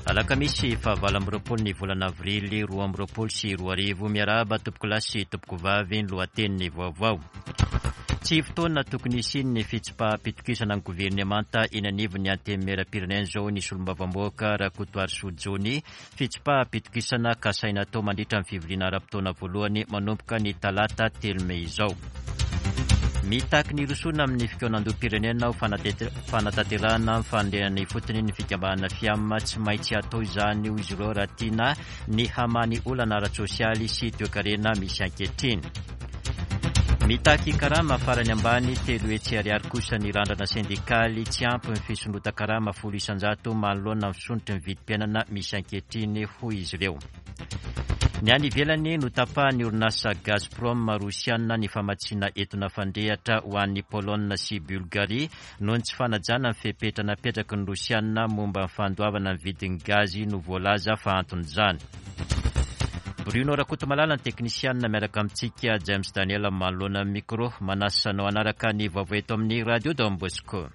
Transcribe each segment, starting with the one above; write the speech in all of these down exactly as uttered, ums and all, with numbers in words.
Alakamisy fahavalo amby roapolo ny volana avrily roa amby roapolo sy roa arivo. Miarahaba tompokolahy sy tompokovavy, ny lohatenin'ny vaovao. Tsy fotoana tokony hisian'ny fitsipaham-pitokisana ny governemanta eny anivon'ny antenimieram-pirenena izao ny solombavambahoaka Rakotoarisoa Johnny. Fitsipaham-pitokisana kasaina atao mandritra ny fivoriana ara-potoana voalohany manomboka ny talata telo mey izao. Mitaky ny hirosoana amin'ny fikaonandoham-pirenena ho fanatanterahana ny fanorenana ifotony ny fikambanana FIAM. Tsy maintsy atao izany hoy izy ireo raha tiana ny hamaha ny olana ara-tsosialy sy toekarena misy ankehitriny. Mitaky karama farany ambany telo hetsy ariary kosa ny randrana sendikaly. Tsy ampy ny fisondrotan-karama folo isan-jato manoloana ny fisondrotry ny vidim-piainana misy ankehitriny hoy izy ireo. Ny any ivelany, notapahan'ny orinasa Gazprom rosiana ny famatsiana etona fandrehitra ho an'ny Polonina sy Bulgarie noho ny tsy fanajana ny fepetra napetraky ny rosiana momba ny fandoavana ny vidin'ny gazy no voalaza fa anton'izany. Bruno Rakotomalala ny teknisianina miaraka amintsika, James Daniel manoloana ny micro. Manasa anao hanaraka ny vaovao eto amin'ny Radio Don Bosco.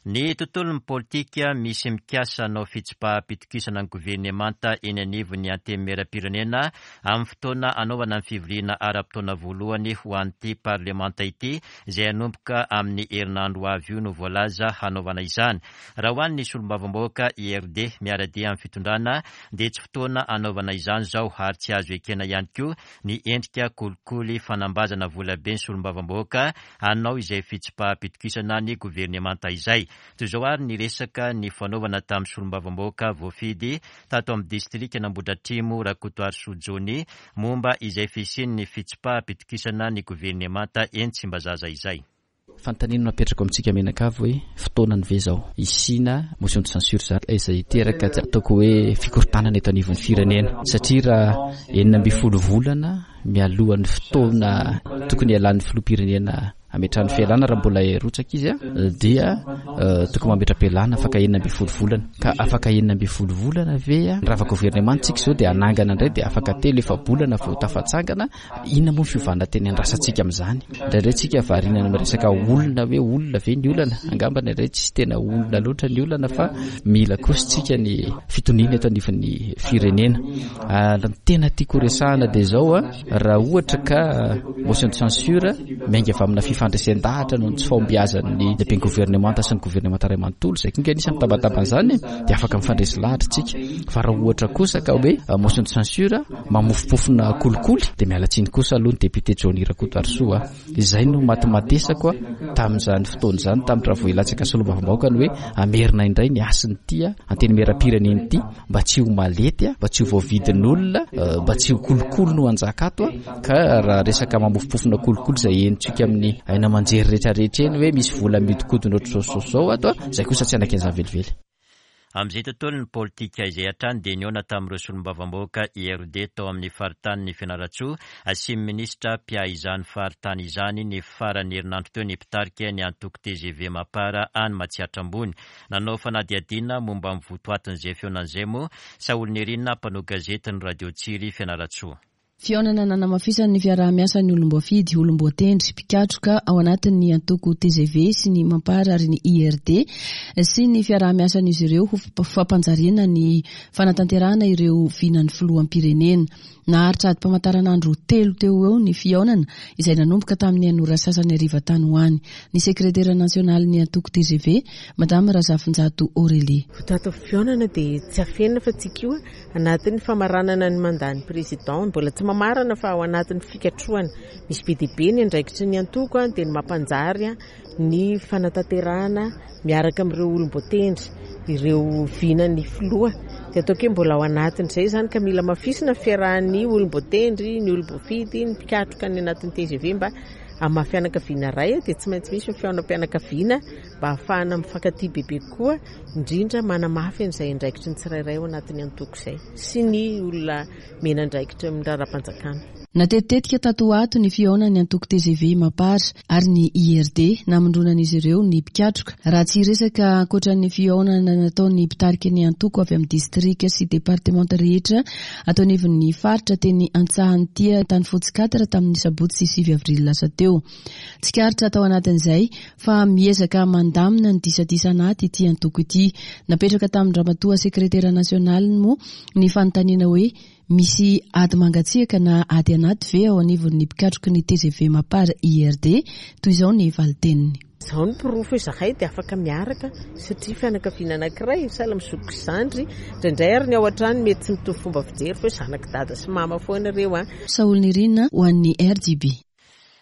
Ny tontolon'ny politika, misy mikasa hanao fitsipaham-pitokisana ny governemanta eny anivon'ny antenimieram-pirenena amin'ny fotoana hanaovana ny fivoriana ara-potoana voalohany ho an'ity parlemanta ity izay hanomboka amin'ny herinandro ho avy io no voalaza hanaovana izany. Raha ho an'ny solombavambahoaka I R D miara-dia amin'ny fitondrana dia tsy fotoana hanaovana izany izao ary tsy azo ekena ihany koa ny endrika kolikoly fanambazana volabe ny solombavambahoaka hanao izay fitsipaham-pitokisana ny governemanta izay. Toy izao ary ny resaka ny fanaovana tamin'ny solombavambahoaka voafidy tato amin'ny distrika Nambodratrimo Rakotoarisoa Johnny momba izay fisian'ny fitsipaham-pitokisana ny governemanta eny Tsimbazaza izay. Fanontaniana no apetrako amintsika mianakavy hoe fotoanany ve izao hisiana motion de censure izany izay hiteraka ataoko hoe fikorontanana eto anivon'ny firenena, satria raha enina ambin'ny folo volana mialohan'ny fotoana tokony hialan'ny filoham-pirenena hametrahany fialana raha mbola hirotsaka izy dia tokony mametra-pialana afaka enina ambin'ny folo volana. Ka afaka enina ambin'ny folo volana ve rava governemanta tsika izao dia hanangana indray dia afaka telo efa-bolana vao tafatsangana? Inona moa ny fiovana teny andrasantsika amin'izany? Indraindray tsika variana amin'ny resaka olona hoe olona ve ny olana? Angamba indraindray tsy tena olona loatra ny olana fa mila kosa tsika ny fitoniana eto anivon'ny firenena. Ary ny tena tiako horesahana dia izao, raha ohatra ka motion de censure miainga avy amina fifandresen-dahatra noho ny tsy fahombiazan'ny lehiben'ny governemanta sy ny governemanta iray manontolo, izay koa anisan'ny mitabataba an'izany, dia afaka mifandresy lahatra tsika. Fa raha ohatra kosa ka hoe motion de censure mamofompofona kolikoly, dia miala tsiny kosa aloha ny député Johnny Rakotoarisoa. Izay no matimatesako tamin'izany fotoana izany, tamin'ny raha vao hilatsaka solombavambahoaka, ny hoe hamerina indray ny hasin'ity antenimieram-pirenena ity mba tsy ho malety, mba tsy ho voavidin'olona, mba tsy ho kolikoly no hanjaka ato. Ka raha resaka mamofompofona kolikoly izay henontsika amin'ny aina aman-jery rehetrarehetra eny hoe misy vola mihodinkodina ohatr'izao sy izao ato, izay kosa tsy hanaiky an'izany velively. Amin'izay tontolon'ny politika izay hatrany dia nihaona tamin'ireo solombavambahoaka I R D tao amin'ny faritanin'ny Fianarantsoa sy ny minisitra mpiahy izany faritany izany ny faran'ny herinandro teo ny mpitarika ny antoko T G V Mapar any Matsiatra Ambony. Nanao fanadihadiana momba ny votoatin'izay fihaonan'izay moa Saholinirina mpanao gazety ny Radio Tsiry Fianarantsoa. Fihaonana nanamafisan'ny fiaraha-miasan'ny olom-boafidy, olom-boatendry, mpikatroka ao anatin'ny antoko T G V sy ny Mapar ary ny I R D sy ny fiaraha-miasan'izy ireo ho fampanjariana ny fanatanterahana ireo vinan'ny filoham-pirenena. Naharitra adim-pamantaranandro telo teo ho eo ny fihaonana izay nanomboka tamin'ny enina ora sasany hariva tany ho any. Ny sekretera nasionalin'ny antoko T G V, Madame Razafinjato Aurélie. Votoatin'ny fihaonana dia tsy afenina fa tsika io anatin'ny famaranana ny mandat-n'ny président, mbola tsy mamarana fa ao anatin'ny fikatrohana. Misy be dia be ny andraikitry ny antoko dia ny mampanjary ny fanatanterahana miaraka amin'ireo olom-boatendry, ireo vinan'ny filoha. Dia ataoko hoe mbola ao anatin'izay izany ka mila mafisina ny fiarahan'ny olom-boatendry, ny olom-boafidy, ny mpikatroka ny anatin'ny T G V mba amin'ny maha fianakaviana iray dia tsy maintsy misy ny fihaonam-pianakaviana mba ahafahana mifankatia bebe kokoa, indrindra manamafy an'izay andraikitry ny tsirairay ao anatin'ny antoko izay sy ny olona mena andraikitra amin'ny raharaham-panjakana. Natetitetika tato ho ato ny fihaonan'ny antoko T G V, MAPAR ary ny I R D, namondronan'izy ireo ny mpikatroka. Raha tsy resaka ankoatran'ny fihaonana nataon'ny mpitarika ny antoko avy amin'ny distrika sy departemanta rehetra atao anivon'ny faritra teny Antsahantia Tany Fotsy quatre tamin'ny sabotsy sivy avrily lasa teo. Tsikaritra tao anatin'izay fa miezaka mandamina ny disadisa anaty ity antoko ity. Napetraka tamin'ny ramatoa sekretera nasionaliny moa ny fanontaniana hoe misy ady mangatsiaka na ady anaty ve ao anivon'ny mpikatroky ny T G V, MAPAR, I R D. Toy izao ny valiteniny. Zao ny porofo hoe zahay dia afaka miaraka satria fianakaviana anankiray, sahala mizoky zandry indraindray, ary ny ao an-trano mety tsy mitovy fomba fijery fa hoe zanak'i dada sy mama foana ireo a. Saolonirina ho an'ny R J B.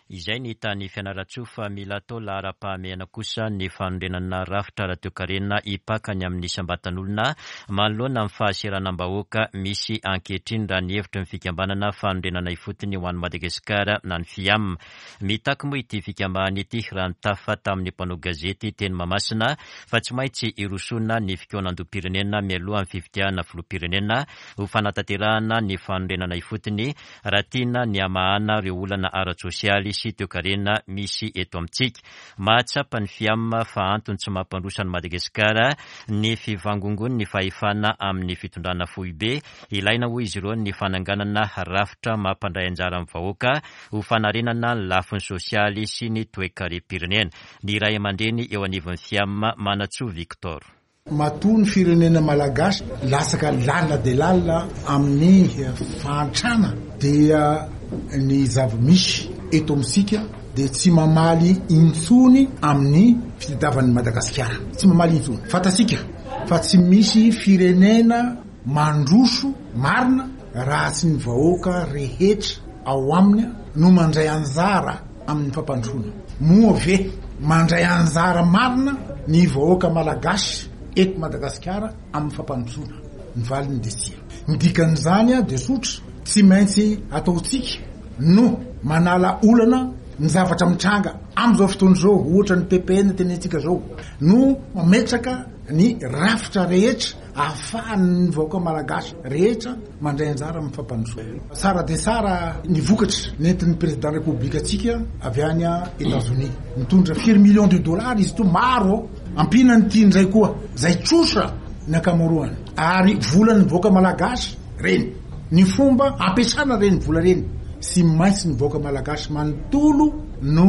Izay ny tany Fianarantsoa, fa mila atao laharam-pahamehana kosa ny fanorenana rafitra ara-toekarena ipakany amin'ny isam-batan'olona manoloana amin'ny fahasahiranam-bahoaka misy ankehitriny, raha ny hevitry ny fikambanana Fanorenana Ifotony ho an'ny Madagasikara na ny FIAM. Mitaky moa ity fikambanana ity, raha nitafa tamin'ny mpanao gazety teny Mahamasina, fa tsy maintsy irosona ny fikaonandoham-pirenena mialoha ny fifidianana filoham-pirenena ho fanatanterahana ny fanorenana ifotony, raha tiana ny hamahana ireo olana ara-tsosialy sy toekarena misy eto amintsika. Mahatsapa ny FIAM fa antony tsy mampandroso an'i Madagasikara ny fivangongon'ny fahefana amin'ny fitondrana foibe. Ilaina, hoy izy ireo, ny fananganana rafitra mampandray anjara amin'ny vahoaka ho fanarenana ny lafiny sosialy sy ny toekarem-pirenena. Ny ray aman-dreny eo anivon'ny FIAM, Manatsoa Victor. Matoa ny firenena malagasy lasaka lalina de lalina amin'ny fahantrana, dia ny zava-misy eto amintsika de tsy mamaly intsony amin'ny fitadiavan'ny Madagasikara, tsy mamaly intsony. Fantatsika fa tsy misy firenena mandroso marina raha tsy ny vahoaka rehetra ao aminy no mandray anjara amin'ny fampandrosoana. Moa ve mandray anjara marina ny vahoaka malagasy eto Madagasikara amin'ny fampandrosoana? Ny valiny de tsia. Ny dikan'izany a de tsotra: tsy maintsy ataotsika no manala olana ny zavatra mitranga am'izao fotoana zao, ohatra ny P P N tenentsika zao, no mametraka ny rafitra rehetra ahafahan'ny vahoaka malagasy rehetra mandray anjara amin'ny fampandrosoana. Tsara de tsara ny vokatra nentin'ny président république atsika avy any a États-Unis, mitondra firy millions de dollars izy to, maro ampina ny tiandray koa zay trosa ny ankamaroany, ary volan'ny vahoaka malagasy reny. Ny fomba ampiasana reny vola reny, sy maintsy ny vahoaka malagasy manontolo no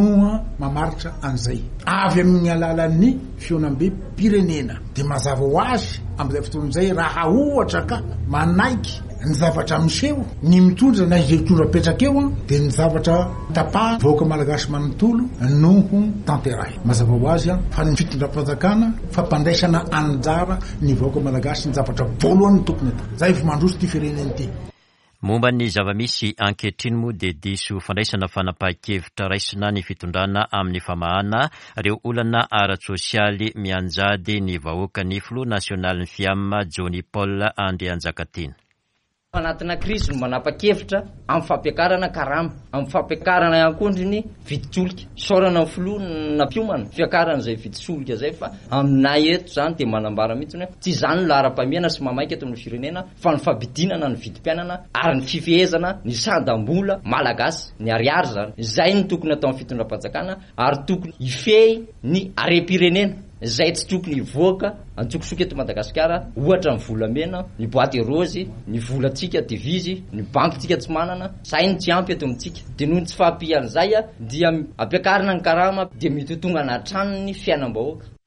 mamaritra an'izay avy amin'ny alalan'ny fihaonambem-pirenena. De mazava ho azy am'izay fotoan'izay, raha ohatra ka manaiky ny zavatra miseho ny mitondra na izay mitondra petraka eo a, de ny zavatra tapaha vahoaka malagasy manontolo no ho tanterahy. Mazava ho azy a fa ny fitondram-panjakana, fampandraisana anjara ny vahoaka malagasy, ny zavatra voalohany tokony atao zay vo mandroso ty firenena ity. Momba ny zava-misy ankehitriny moa dia diso fandraisana fanapahan-kevitra raisina ny fitondrana amin'ny famahana ireo olana ara-tsosialy mianjady ny vahoaka, ny filoha nasionalin'ny FIAM, Johnny Paul Andrianjakatiana. Anatina krizy no manapa-kevitra amin'ny fampiakarana karama, amin'ny fampiakarana ihany koa ndry ny vidin-tsolika. Isaorana ny filoha nampiomana fiakarana izay vidin-tsolika zay, fa aminay eto zany dia manambara mihitsy hoe tsy izany no laharam-pahamehana sy mamaika eto amin'ny firenena, fa ny fampidinana ny vidim-piainana ary ny fifehezana ny sandam-bola malagasy, ny ariary zany. Izay no tokony atao amin'ny fitondram-panjakana, ary tokony hifehy ny harem-pirenena zay tsy tokony hivoaka antsokosoko eto Madagasikara, ohatra ny volamena, ny boîte rose, ny volantsika devise, ny bankintsika tsy manana zay no tsy ampy eto amintsika. De noho ny tsy fahampian'izay a dia ampiakarina ny karama, dia mitotongana hatrany ny fiainam-bahoaka.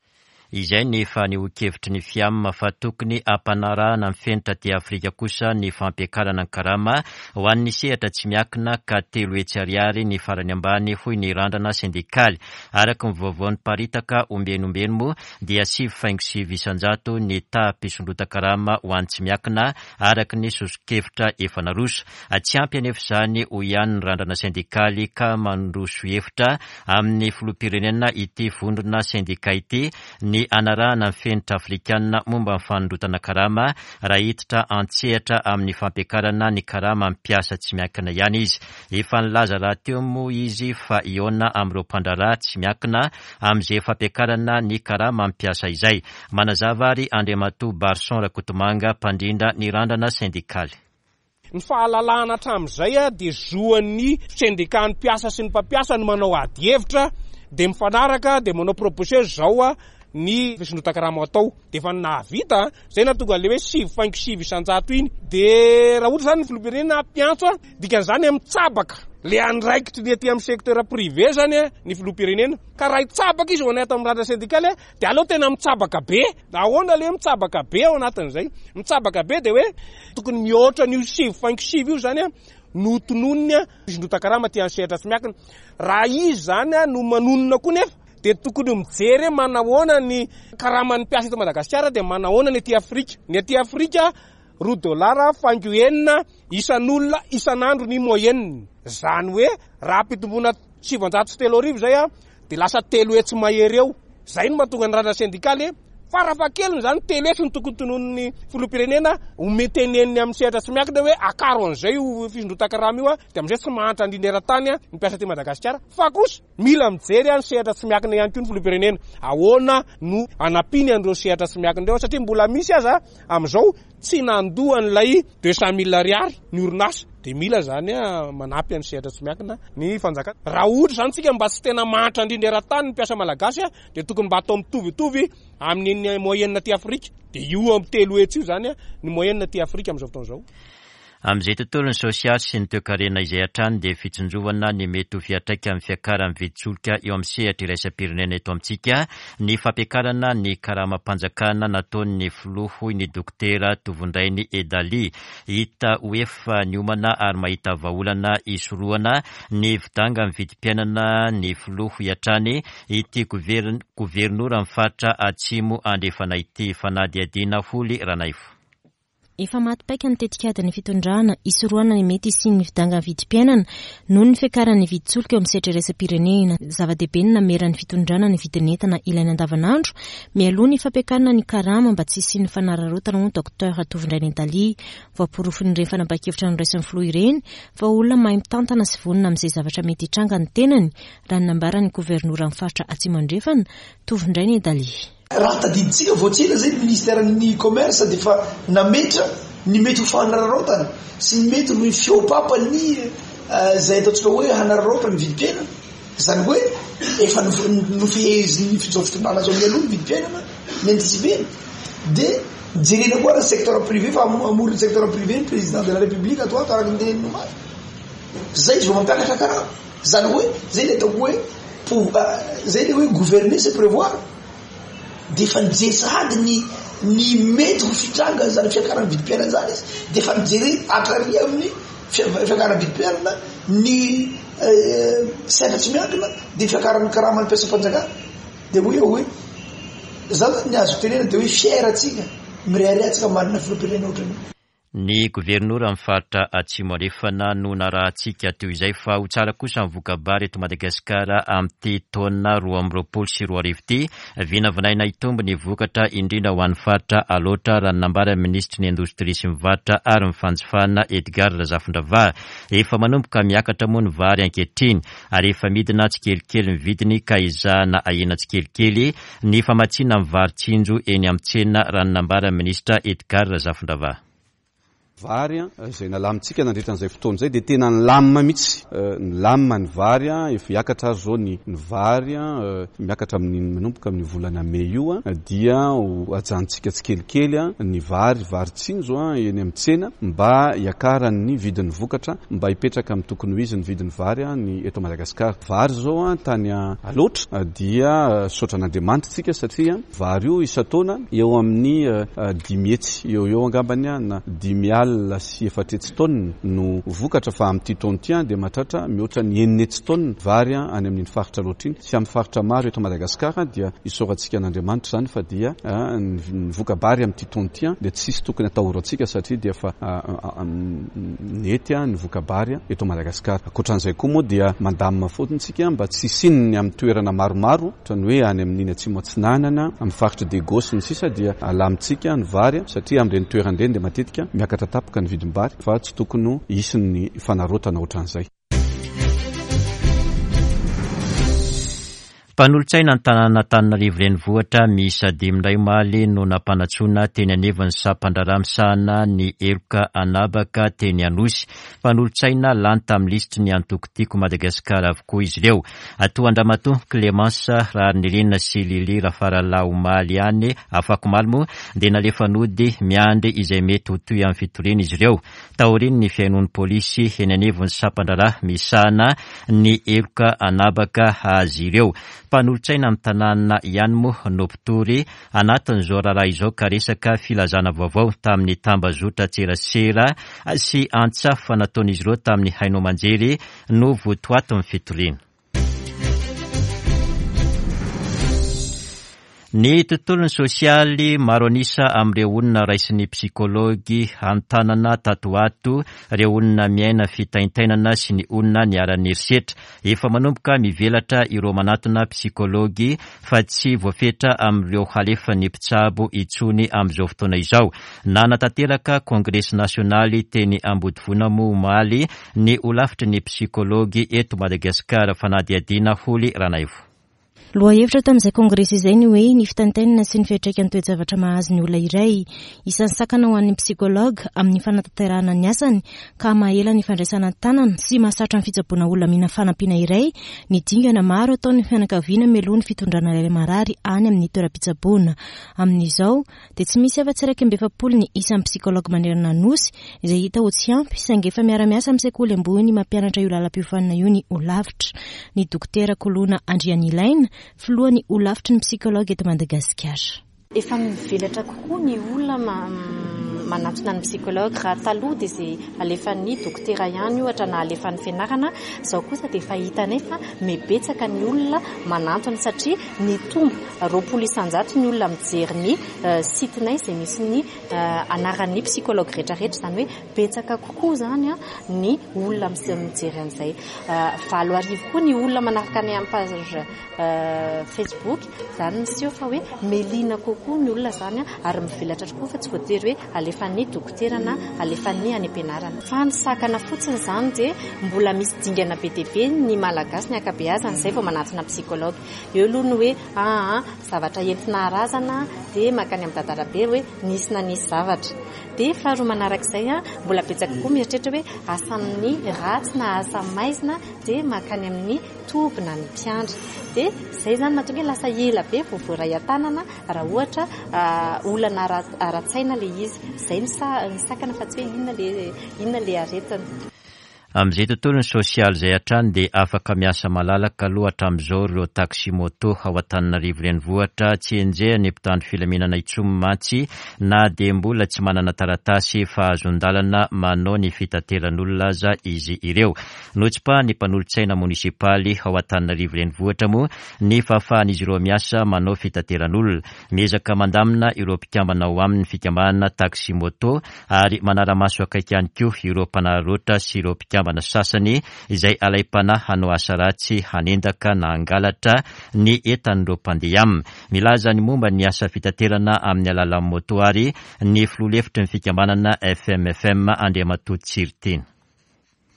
Izay ny fanehoan-kevitry ny FIAM fa tokony ampanarahana ny fenitra aty Afrika kosa ny fampiakarana ny karama ho an'ny sehatra tsy miankina, ka telo hetsy ariary ny farany ambany, hoy ny Randrana sendikaly. Araka ny vaovao niparitaka ombenombeno moa dia sivy faingo sivy isanjato ny taham-pisondrotan-karama ho an'ny tsy miankina, araka ny soso-kevitra efa naroso. Tsy ampy anefa izany, hoy ihany ny Randrana sendikaly, ka mandroso hevitra amin'ny filoham-pirenena ity vondrona sendika ity ny anarahana ny fenitra afrikanina momba ny fanondrotana karama, raha hiditra an-tsehatra amin'ny fampiakarana ny karama mpiasa tsy miankina ihany izy. Efa nilaza raha teo moa izy fa hihaona amin'ireo mpandraharaha tsy miankina amin'izay fampiakarana ny karama mpiasa izay. Manazava ary Andriamatoa Barson Rakotomanga, mpandrindra ny Randrana sendikaly. Ny fahalalahana hatramin'izay dia zoan'ny sendikan'ny mpiasa sy ny mpampiasa no manao ady hevitra, dia mifanaraka, dia manao proposition zao ny fisondrotan-karama atao. Dia efa nahavita zay nahatonga an'ilay hoe sivy faingo sivy isan-jato iny. Dia raha ohatra zany ny filoham-pirenena hampiantso, dikan'izany mitsabaka le andraikitry ny aty amin'ny secteur privé zany ny filoham-pirenena. Ka raha hitsabaka izy ao anaty amin'ny randra sendikaly dia aleo tena mitsabaka be. Ahoana le mitsabaka be ao anatin'izay? Mitsabaka be dia hoe tokony mihoatra an'io sivy faingo sivy io zany no tononiny fisondrotan-karama aty amin'ny sehatra tsy miankina. Raha izy zany no manonona koa nefa dia tokony mijery hoe manahoana ny karaman'ny mpiasa eto Madagasikara, dia manahoana ny aty Afrika. Ny aty Afrika roa dolara faingo enina isan'olona isan'andro ny moyenne. Zany hoe raha ampitomboina sivanjato sy telo arivo zay a, dia lasa telo hetsy mahery eo. Zay no mahatonga ny randra sendikaly farafahakeliny zany telo hetsy no tokony tononin'ny filoham-pirenena omenteneniny amin'ny sehatra tsy miankina hoe akaro an'izay io fisondrotan-karama io a, dia amin'izay tsy mahantra indrindra eran-tany ny mpiasa aty Madagasikara. Fa kosa mila mijery ny sehatra tsy miankina ihany koa ny filoham-pirenena. Ahoana no anampiany an'ireo sehatra tsy miankina ireo, satria mbola misy aza amin'izao tsy nandoa an'ilay deux cent mille ariary ny orinasa, dia mila zany manampy an'ny sehatra tsy miankina ny fanjakana. Raha ohatra zany tsika mba tsy tena mahantra indrindra eran-tany ny mpiasa malagasy, dia tokony mba atao mitovitovy amin'ny moyenne aty Afrika. Dia io amin'ny telo hetsy io zany ny moyenne aty Afrika amin'izao fotoana izao. Amin'izay tontolon'ny sosialy sy ny toekarena izay hatrany dia fitsinjovana ny mety ho fiantraikan'ny fiakaran'ny vidin-tsolika eo amin'ny sehatra iraisam-pirenena eto amintsika ny fampiakarana ny karamam-panjakana nataon'ny filoha, hoy ny dokotera Tovondrainy Edali. Hita ho efa niomana ary mahita vahaolana hisorohana ny fidangan'ny vidim-piainana ny filoha, hoy hatrany ity governoran'ny faritra Atsimo Andrefana ity. Fanadihadiana Holy Ranaivo. Efa maty paika ny tetikadin'ny fitondrana hisorohana ny mety hisian'ny fidangan'ny vidim-piainana noho ny fiakaran'ny vidin-tsolika eo amin'ny sehatra iraisam-pirenena. Zava-dehibe ny nameran'ny fitondrana ny vidin'entana ilaina andavanandro mialoha ny fampiakarana ny karama mba tsy hisian'ny fanararaotana, hoy Docteur Tovondrainy Edali. Voaporofon'ireny fanapahan-kevitra noraisin'ny filoha ireny fa olona mahay mitantana sy vonona amin'izay zavatra mety hitranga ny tenany, raha ny nambaran'ny governoran'ny faritra Atsimo Andrefana, Tovondrainy Edali. Raha tadidintsika vao tsy ela zay ny ministeran'ny commerce dia efa nametra ny mety ho fanararaotana sy ny mety ho fiopapany izay ataontsika hoe hanararaotra ny vidim-piainana. Izany hoe efa nofehezin'ny izao fitondrana izao mialoha ny vidim-piainana ny anticipena. Dia jerena koa ny secteur privé, fa hamory ny secteur privé ny président de la république ato ato araka ny teneniny omaly. Zay izy vao mampiakatra karama. Izany hoe zay le ataoko hoe zay le hoe gouverner c'est prévoir. Dia efa nijery sahady ny ny mety ho fitranga zany fiakaran'ny vidim-piainana zany izy, dia efa nijery hatrany amin'ny fiakaran'ny vidim-piainana ny sehatra tsy miankina, dia fiakaran'ny karaman'ny mpiasam-panjakana. Dia hoy aho hoe za zany ny azoko tenena dia hoe fier antsika, mirehareha antsika manana filoham-pirenena ohatran'io. Ny governoran'ny faritra Atsimo Andrefana no narahantsika teo izay, fa ho tsara kosa ny voka-bary eto Madagasikara amin'ity taona roa amby roapolo sy roa arivo ity. Vinavinaina hitombo ny vokatra indrindra ho an'ny faritra Alaotra, raha ny nambaran'ny minisitry ny indostria sy ny varotra ary ny fanjifana Edgard Razafindravaha. Efa manomboka miakatra moa ny vary ankehitriny ary efa midina tsikelikely ny vidiny, ka ezahana ahena tsikelikely ny famatsiana ny vary tsinjo eny amin'ny tsena, raha ny nambaran'ny minisitra Edgard Razafindravaha. Vary izay nalamintsika nandritra an'izay fotoana izay dia tena nilamina mihitsy. Nilamina ny vary, efa hiakatra ary izao ny vary, miakatra amin'ny manomboka amin'ny volana mey io, dia ho ajanontsika tsikelikely ny vary, vary tsinjo eny amin'ny tsena mba hiakaran'ny vidin'ny vokatra, mba hipetraka amin'ny tokony ho izy ny vidin'ny vary ny eto Madagasikara. Vary izao tany Alaotra dia saotran'Andriamanitra isika satria vary io isan-taona eo amin'ny dimy hetsy eo eo angambany na dimy alina sy efatra hetsy taonina no vokatra, fa amin'ity taona ity dia mahatratra mihoatra ny enina hetsy taonina vary any amin'iny faritra Alaotra iny sy amin'ny faritra maro eto Madagasikara. Dia isaorantsika an'Andriamanitra izany fa dia ny voka-bary amin'ity taona ity dia tsisy tokony atahorantsika satria dia efa nety ny voka-bary eto Madagasikara. Ankoatran'izay koa moa dia mandamina fotsiny isika mba tsy hisian'ny amin'ny toerana maromaro, ohatran'ny hoe any amin'iny Atsimo Atsinanana, amin'ny faritra Diego sy ny sisa, dia alamintsika ny vary satria amin'ireny toerana ireny dia matetika miakatra tampoka ny vidim-bary, fa tsy tokony hisy ny fanarotana ohatran'izay. Mpanolotsaina ny tanàn'Antananarivo renivohitra miisa dimy indray omaly no nampanantsoina teny anivon'ny sampandraharaha misahana ny heloka anabaka teny Anosy. Mpanolotsaina lany tamin'ny lisitry ny antoko Tiako Madagasikara avokoa izy ireo. Atoa Andriamatoa Clémence Raharinirina sy Lily Rafaralahy omaly ihany, afakomaly moa dia nalefa nody miandry izay mety ho toy amin'ny fitoriana izy ireo. Taorian'ny fihainoan'ny polisy eny anivon'ny sampandraharaha misahana ny heloka anabaka azy ireo. Mpanolotsaina amin'ny tanàna ihany moa no mpitory anatin'izao raharaha izao ka resaka filazana vaovao tamin'ny tambazotra tserasera sy antsafa nataon'izy ireo tamin'ny haino aman-jery no votoatin'ny fitoriana. Ny tontolon'ny sosialy maro an'isa amin'ireo olona raisin'ny psikology an-tanana tato ato, ireo olona miaina fitaintainana sy ny olona niharan'ny herisetra. Efa manomboka mivelatra ireo manatona psikology fa tsy voafetra amin'ireo halefan'ny mpitsabo intsony amin'izao fotoana izao. Nanatanteraka kongresy nasionaly teny Ambodivona moa omaly ny holafitry ny psikology eto Madagasikara, fanadihadiana Holy Ranaivo. Lohahevitra tamin'izay kongresy izay ny hoe ny fitaintainana sy ny fiantraikan'ny toe-javatra mahazo ny olona iray. Isan'ny sakana ho an'ny psikology amin'ny fanatanterahana ny asany ka mahela ny fandraisana an-tanana sy mahasarotra ny fitsaboana olona mila fanampiana iray ny dingana maro ataon'ny fianakaviana mialoha ny fitondrana ilay marary any amin'ny toeram-pitsaboana. Amin'izao dia tsy misy afa-tsy iraika amby efapolo ny isan'ny psikology manerana ny Nosy izay hita ho tsy ampy, saingy efa miara-miasa amin'ny sekoly ambony mampianatra io lalam-piofanana io ny holafitra. Ny dokotera Koloina Andrianilaina, filohan'ny holafitry ny psikology eto Madagasikara. Efa mivelatra kokoa ny olona manatona ny psikology. Raha taloha dia izay alefan'ny dokotera ihany ohatra na alefan'ny fianarana, izao kosa dia efa hitanay fa mibetsaka ny olona manantona satria nitombo roapolo isan-jato ny olona mijery ny site-nay izay misy ny anaran'ny psikology rehetrarehetra, izany hoe betsaka kokoa izany ny olona mijery an'izay. Valo arivo koa ny olona manaraka ny amin'ny page Facebook, izany miseho fa hoe melina kokoa ny olona izany ary mivelatra tokoa fa tsy voatery hoe alefan'ny dokotera na alefan'ny any am-pianarana. Fa ny sakana fotsiny izany dia mbola misy dingana be dia be ny Malagasy ny ankabeazany izay vao manatona psikology. Eo aloha ny hoe aa zavatra entina arazana dia mankany amin'ny dadarabe hoe nisy na nisy zavatra. Dia faharoa manarak'izay mbola betsaka koa mieritreritra hoe asan'ny ratsy na asa maizina dia mankany amin'ny toby na ny mpiandry. Dia izay izany mahatonga hoe lasa ela be vao voaray an-tanana raha ohatra olana ara-tsaina ilay izy. Izay ny sakana fa tsy hoe inona ilay inona ilay aretina. Amin'izay tontolon'ny sosialy izay hatrany dia afaka miasa malalaka aloha hatramin'izao ireo taxi moto ao Antananarivo renivohitra. Tsy enjehan'ny mpitandro filaminana intsony mantsy na dia mbola tsy manana taratasy fahazon-dalana manao ny fitateran'olona aza izy ireo. Notsipahan'ny mpanolotsaina monisipaly ao Antananarivo renivohitra moa ny fahafahan'izy ireo miasa manao fitateran'olona. Miezaka mandamina ireo mpikambana ao amin'ny fikambanana taxi moto ary manara-maso akaiky ihany koa ireo mpanararaotra sy ireo mpikambana sasany izay alaim-panahy hanao asa ratsy hanendaka na hangalatra ny entan'ireo mpandeha aminy. Milaza ny momba ny asa fitaterana amin'ny alalan'ny moto ary ny filoha lefitry ny fikambanana F M F M Andriamatoa Tsiriteny.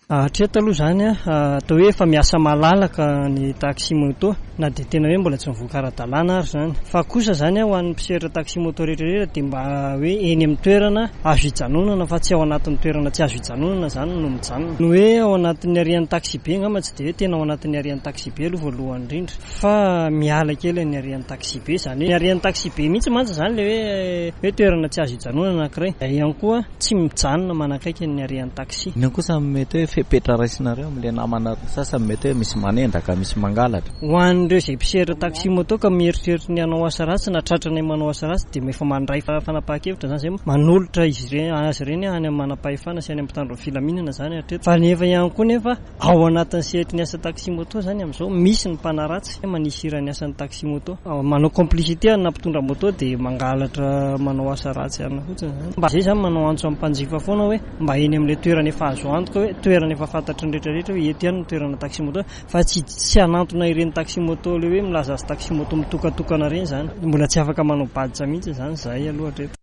Hatreto aloha izany atao hoe efa miasa malalaka ny taxi moto na dia tena hoe mbola tsy mivoaka ara-dalàna ary izany. Fa kosa izany ho an'ny mpisehatra taxi moto rehetrarehetra dia mba hoe eny amin'ny toerana azo hijanonana fa tsy ao anatin'ny toerana tsy azo hijanonana izany no mijanona. Ny hoe ao anatin'ny arian'ny taxi be angamba tsy dia hoe tena ao anatin'ny arian'ny taxi be aloha voalohany indrindra fa miala kely ny arian'ny taxi be izany hoe ny arian'ny taxi be mihitsy mantsy izany ilay hoe hoe toerana tsy azo hijanonana anankiray. Ihany koa tsy mijanona manakaiky ny arian'ny taxi. Inona kosa mety hoe fepetra raisinareo amin'ilay namana sasany mety hoe misy manendaka, misy mangalatra? Ho an'ireo izay mpisehatra taxi moto ka mieritreritra ny hanao asa ratsy na tratranay manao asa ratsy dia efa mandray fanapahan-kevitra izany izay manolotra izy ireny, azy ireny any amin'ny manam-pahefana sy any amin'ny mpitandro ny filaminana izany hatreto. Fa nefa ihany koa nefa ao anatin'ny sehatry ny asa taxi moto izany amin'izao misy ny mpanaratsy manisy iran'ny asan'ny taxi moto. Manao complicité na mpitondra moto dia mangalatra manao asa ratsy ihany fotsiny izany. Mba izay izany manao antso amin'ny mpanjifa foana hoe mba eny amin'ilay toerana efa azo antoka hoe toerana efa fantatry ny rehetrarehetra hoe eto ihany ny toerana taxi moto fa tsy tsy hanantona ireny taxi moto ilay hoe milaza azy taxi moto mitokatokana ireny izany. Mbola tsy afaka manao badge mihitsy izany izahay aloha hatreto.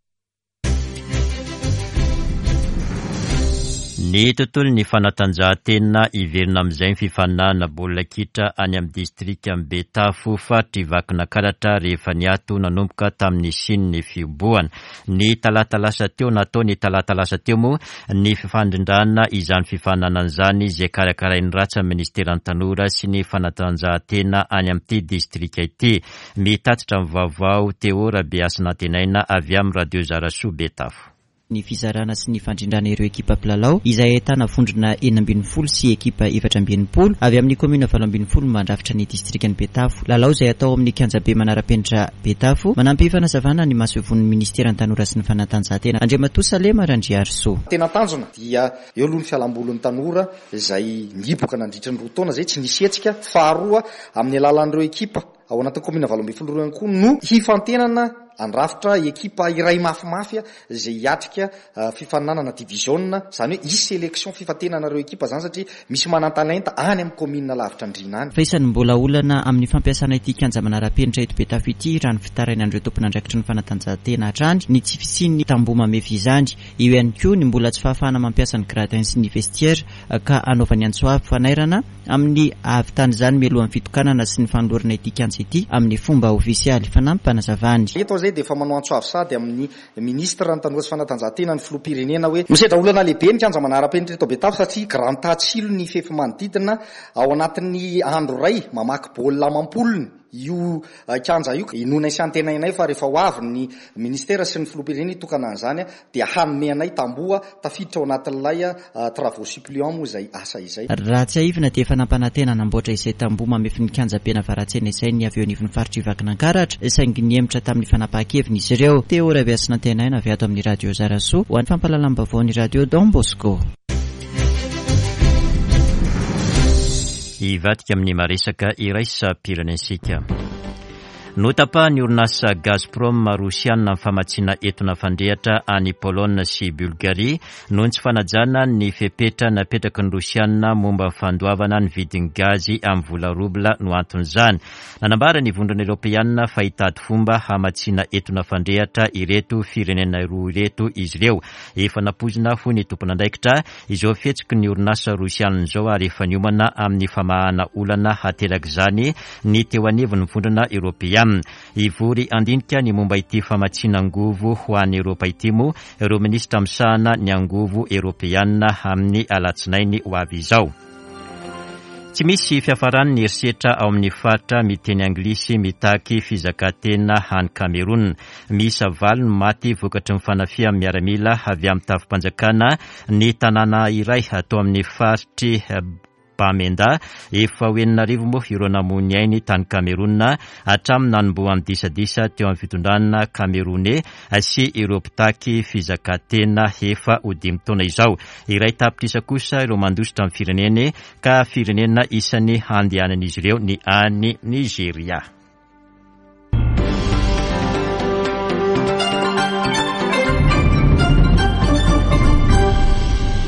Ny tontolon'ny fanatanjahantena, hiverina amin'izay ny fifaninanana baolina kitra any amin'ny distrikan'i Betafo, faritry Vakinankaratra, rehefa niato nanomboka tamin'ny nisian'ny fihobohana. Ny talata lasa teo, natao ny talata lasa teo moa ny fifandrindrana izany fifaninanana izany, izay karakarain'ny ratsan'ny ministeran'ny tanora sy ny fanatanjahantena any amin'ity distrika ity. Mitatitra ny vaovao Théo Rabehasinantenaina avy amin'ny Radio Zarasoa Betafo. Ny fizarana sy ny fandrindrana ireo ekipa mpilalao izay ahitana vondrona enina ambin'ny folo sy ekipa efatra amby enimpolo avy amin'ny komuna valo ambin'ny folo mandrafitra ny distrikan'i Betafo. Lalao izay atao amin'ny kianjabe manara-penitra Betafo. Manampy fanazavana ny masoivohon'ny ministeran'ny tanora sy ny fanatanjahantena, Andriamatoa Salema Randriarisoa. Tena tanjona dia eo aloha ny fialambolin'ny tanora izay nihiboka nandritra ny roa taona izay tsy nisy hetsika. Faharoa, amin'ny alalan'ireo ekipa ao anatin'ny komuna valo ambin'ny folo ireo ihany koa no hifantenana andrafitra ekipa iray mafimafy izay hiatrika fifaninanana division, izany hoe hisy sélection fifantenana ireo ekipa izany satria misy manan-talenta any amin'ny komuna lavitra andriana any. Fa isan'ny mbola olana amin'ny fampiasana ity kianja manara-penitra eto Betafo ity raha ny fitarainan'ireo tompon'andraikitry ny fanatanjahantena hatrany ny tsy fisian'ny tamboho mamefy izany. Eo ihany koa ny mbola tsy fahafahana mampiasa ny gradin sy ny vestiaire ka anaovany antso avo fanairana amin'ny ahavitan'izany mialohan'ny fitokanana sy ny fanolorana ity kianja ity amin'ny fomba ofisialy. Fanampim-panazavany. Eto izay dia efa manao antso avo sady amin'ny ministre ny tanora sy fanatanjahantena ny filoham-pirenena hoe misedra olana lehibe ny kianja manara-penitra eto Betafo satria grand tatsilo ny fefy manodidina ao anatin'ny andro iray mamaky baolina amam-polony io kianja io. Inoana sy antenainay fa rehefa ho avy ny ministera sy ny filoham-pirenena hitokana an'izany dia hanome anay tamboho tafiditra ao anatin'ilay travaux suppléants moa izay asa izay. Raha tsiahivina dia efa nampanantena namboatra izay tamboho mamefy ny kianja be Navaratsena izay ny avy eo anivon'ny faritry Vakinankaratra, saingy nihemotra tamin'ny fanapahan-keviny izy ireo. Théo Rabehasinantenaina avy ato amin'ny Radio Zarasoa ho an'ny fampahalalam-baovaon'ny Radio Don Bosco. Hivadika amin'ny maresaka iraisam-pirenentsika. Notapahan'ny orinasa Gazprom rosiana ny famatsiana entona fandrehitra any Pologne sy Bulgarie noho ny tsy fanajana ny fepetra napetraky ny rosiana momba ny fandoavana ny vidin'ny gazy amin'ny vola robla no anton'izany. Nanambara ny vondrona eoropeana fa hitady fomba hamatsiana entona fandrehitra ireto firenena roa ireto izy ireo. Efa nampoizina hoy ny tompon'andraikitra izao fihetsiky ny orinasa rosiana izao ary efa niomana amin'ny famahana olana haterak'izany ny teo anivon'ny vondrona eoropeana. Hivory handinika ny momba ity famatsiana angovo ho an'i Eoropa ity moa ireo minisitra misahana ny angovo eoropeana amin'ny alatsinainy ho avy izao. Tsy misy fiafaran'ny herisetra ao amin'ny faritra miteny anglisy mitaky fizakantena any Cameroun. Miisa valo ny maty vokatry ny fanafihan'ny miaramila avy amin'ny tafi-panjakana ny tanàna iray atao amin'ny faritry Bamenda. Efa ho enina arivo moa ireo namoy ny ainy tany Cameroun hatramin'ny nanombohan'ny disadisa teo amin'ny fitondrana Camerounais sy ireo mpitaky fizakantena efa ho dimy taona izao. Iray tapitrisa kosa ireo mandositra amin'ny fireneny ka firenena isan'ny handehanan'izy ireo ny any Nigeria.